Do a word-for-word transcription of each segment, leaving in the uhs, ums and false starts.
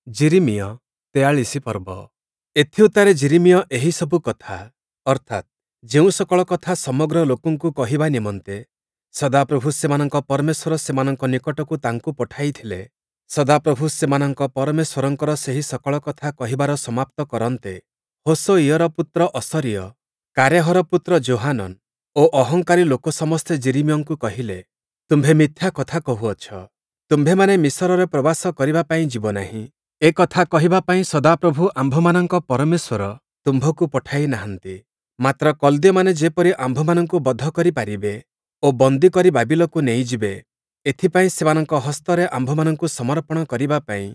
ଯିରିମିୟ ତେୟାଳିଶ ପର୍ବ। ଏଥିଉତ୍ତାରେ ଯିରିମିୟ ଏହି ସବୁ କଥା, ଅର୍ଥାତ୍, ଯେଉଁ ସକଳ କଥା ସମଗ୍ର ଲୋକଙ୍କୁ କହିବା ନିମନ୍ତେ ସଦାପ୍ରଭୁ ସେମାନଙ୍କ ପରମେଶ୍ୱର ସେମାନଙ୍କ ନିକଟକୁ ତାଙ୍କୁ ପଠାଇଥିଲେ, ସଦାପ୍ରଭୁ ସେମାନଙ୍କ ପରମେଶ୍ୱରଙ୍କର ସେହି ସକଳ କଥା କହିବାର ସମାପ୍ତ କରନ୍ତେ, ହୋଶୟିଅର ପୁତ୍ର ଅସରୀୟ, କାରେହର ପୁତ୍ର ଯୋହାନନ୍ ଓ ଅହଙ୍କାରୀ ଲୋକ ସମସ୍ତେ ଯିରିମିୟଙ୍କୁ କହିଲେ, ତୁମ୍ଭେ ମିଥ୍ୟା କଥା କହୁଅଛ, ତୁମ୍ଭେମାନେ ମିସରରେ ପ୍ରବାସ କରିବା ପାଇଁ ଯିବ ନାହିଁ। ଏ କଥା କହିବା ପାଇଁ ସଦାପ୍ରଭୁ ଆମ୍ଭମାନଙ୍କ ପରମେଶ୍ୱର ତୁମ୍ଭକୁ ପଠାଇ ନାହାନ୍ତି। ମାତ୍ର କଲ୍ଦୀୟମାନେ ଯେପରି ଆମ୍ଭମାନଙ୍କୁ ବଧ କରି ପାରିବେ ଓ ବନ୍ଦୀ କରି ବାବିଲକୁ ନେଇଯିବେ, ଏଥିପାଇଁ ସେମାନଙ୍କ ହସ୍ତରେ ଆମ୍ଭମାନଙ୍କୁ ସମର୍ପଣ କରିବା ପାଇଁ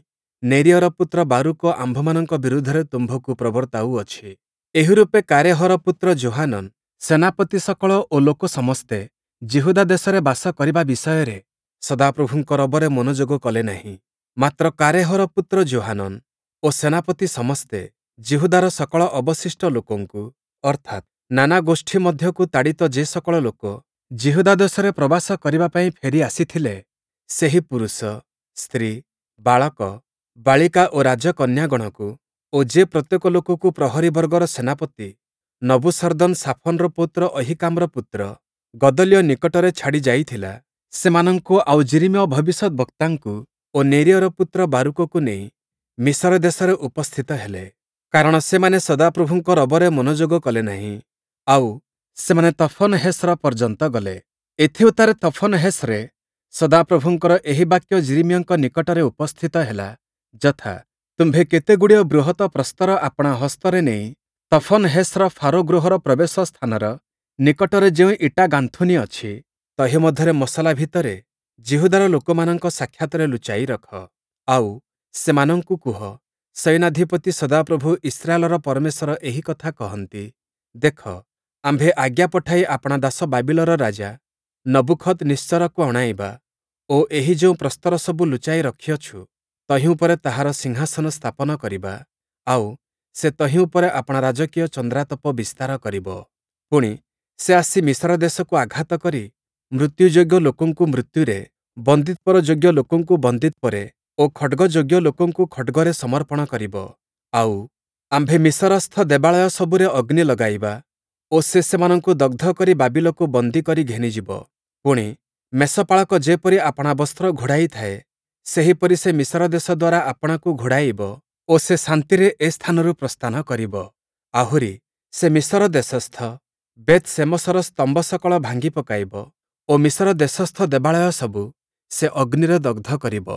ନେରିୟର ପୁତ୍ର ବାରୂକ ଆମ୍ଭମାନଙ୍କ ବିରୁଦ୍ଧରେ ତୁମ୍ଭକୁ ପ୍ରବର୍ତ୍ତାଉଅଛି। ଏହିରୂପେ କାରେହର ପୁତ୍ର ଯୋହାନନ୍, ସେନାପତି ସକଳ ଓ ଲୋକ ସମସ୍ତେ ଯିହୁଦା ଦେଶରେ ବାସ କରିବା ବିଷୟରେ ସଦାପ୍ରଭୁଙ୍କ ରବରେ ମନୋଯୋଗ କଲେ ନାହିଁ। ମାତ୍ର କାରେହର ପୁତ୍ର ଯୋହାନନ୍ ଓ ସେନାପତି ସମସ୍ତେ ଯିହୁଦାର ସକଳ ଅବଶିଷ୍ଟ ଲୋକଙ୍କୁ, ଅର୍ଥାତ୍, ନାନା ଗୋଷ୍ଠୀ ମଧ୍ୟକୁ ତାଡ଼ିତ ଯେ ସକଳ ଲୋକ ଯିହୁଦା ଦେଶରେ ପ୍ରବାସ କରିବା ପାଇଁ ଫେରି ଆସିଥିଲେ, ସେହି ପୁରୁଷ, ସ୍ତ୍ରୀ, ବାଳକ, ବାଳିକା ଓ ରାଜକନ୍ୟାଗଣକୁ ଓ ଯେ ପ୍ରତ୍ୟେକ ଲୋକକୁ ପ୍ରହରୀବର୍ଗର ସେନାପତି ନବୂସରଦନ୍ ଶାଫନର ପୌତ୍ର ଅହୀକାମର ପୁତ୍ର ଗଦଲିୟ ନିକଟରେ ଛାଡ଼ି ଯାଇଥିଲା, ସେମାନଙ୍କୁ ଆଉ ଯିରିମିୟ ଭବିଷ୍ୟଦ୍‌ବକ୍ତାଙ୍କୁ ଓ ନେରିୟର ପୁତ୍ର ବାରୂକକୁ ନେଇ ମିସର ଦେଶରେ ଉପସ୍ଥିତ ହେଲେ। କାରଣ ସେମାନେ ସଦାପ୍ରଭୁଙ୍କ ରବରେ ମନୋଯୋଗ କଲେ ନାହିଁ। ଆଉ, ସେମାନେ ତଫନହେସ୍‌ର ପର୍ଯ୍ୟନ୍ତ ଗଲେ। ଏଥିଉତ୍ତାରେ ତଫନହେସ୍‌ରେ ସଦାପ୍ରଭୁଙ୍କର ଏହି ବାକ୍ୟ ଯିରିମିୟଙ୍କ ନିକଟରେ ଉପସ୍ଥିତ ହେଲା, ଯଥା, ତୁମ୍ଭେ କେତେଗୁଡ଼ିଏ ବୃହତ ପ୍ରସ୍ତର ଆପଣା ହସ୍ତରେ ନେଇ ତଫନହେସ୍‌ର ଫାରୋ ଗୃହର ପ୍ରବେଶ ସ୍ଥାନର ନିକଟରେ ଯେଉଁ ଇଟା ଗାନ୍ଥୁନୀ ଅଛି, ତହିଁ ମଧ୍ୟରେ ମସଲା ଭିତରେ ଯିହୁଦାର ଲୋକମାନଙ୍କ ସାକ୍ଷାତରେ ଲୁଚାଇ ରଖ। ଆଉ, ସେମାନଙ୍କୁ କୁହ, ସୈନ୍ୟାଧିପତି ସଦାପ୍ରଭୁ ଇସ୍ରାଏଲର ପରମେଶ୍ୱର ଏହି କଥା କହନ୍ତି, ଦେଖ, ଆମ୍ଭେ ଆଜ୍ଞା ପଠାଇ ଆପଣା ଦାସ ବାବିଲର ରାଜା ନବୂଖଦନିତ୍ସରକୁ ଅଣାଇବା ଓ ଏହି ଯେଉଁ ପ୍ରସ୍ତରସବୁ ଲୁଚାଇ ରଖିଅଛୁ, ତହିଁ ଉପରେ ତାହାର ସିଂହାସନ ସ୍ଥାପନ କରିବା, ଆଉ, ସେ ତହିଁ ଉପରେ ଆପଣା ରାଜକୀୟ ଚନ୍ଦ୍ରାତପ ବିସ୍ତାର କରିବ। ପୁଣି, ସେ ଆସି ମିସର ଦେଶକୁ ଆଘାତ କରି ମୃତ୍ୟୁଯୋଗ୍ୟ ଲୋକଙ୍କୁ ମୃତ୍ୟୁରେ, ବନ୍ଦୀତ୍ୱର ଯୋଗ୍ୟ ଲୋକଙ୍କୁ ବନ୍ଦୀତ୍ୱରେ ଓ ଖଡ଼୍ଗଯୋଗ୍ୟ ଲୋକଙ୍କୁ ଖଡ଼୍ଗରେ ସମର୍ପଣ କରିବ। ଆଉ, ଆମ୍ଭେ ମିସରସ୍ଥ ଦେବାଳୟ ସବୁରେ ଅଗ୍ନି ଲଗାଇବା ଓ ସେ ସେମାନଙ୍କୁ ଦଗ୍ଧ କରି ବାବିଲକୁ ବନ୍ଦୀ କରି ଘେନିଯିବ। ପୁଣି, ମେଷପାଳକ ଯେପରି ଆପଣା ବସ୍ତ୍ର ଘୋଡ଼ାଇଥାଏ, ସେହିପରି ସେ ମିସର ଦେଶ ଦ୍ୱାରା ଆପଣାକୁ ଘୋଡ଼ାଇବ ଓ ସେ ଶାନ୍ତିରେ ଏ ସ୍ଥାନରୁ ପ୍ରସ୍ଥାନ କରିବ। ଆହୁରି, ସେ ମିସର ଦେଶସ୍ଥ ବେଥ୍‌ଶେମଶର ସ୍ତମ୍ଭ ସକଳ ଭାଙ୍ଗି ପକାଇବ ଓ ମିସର ଦେଶସ୍ଥ ଦେବାଳୟ ସବୁ ସେ ଅଗ୍ନିରେ ଦଗ୍ଧ କରିବ।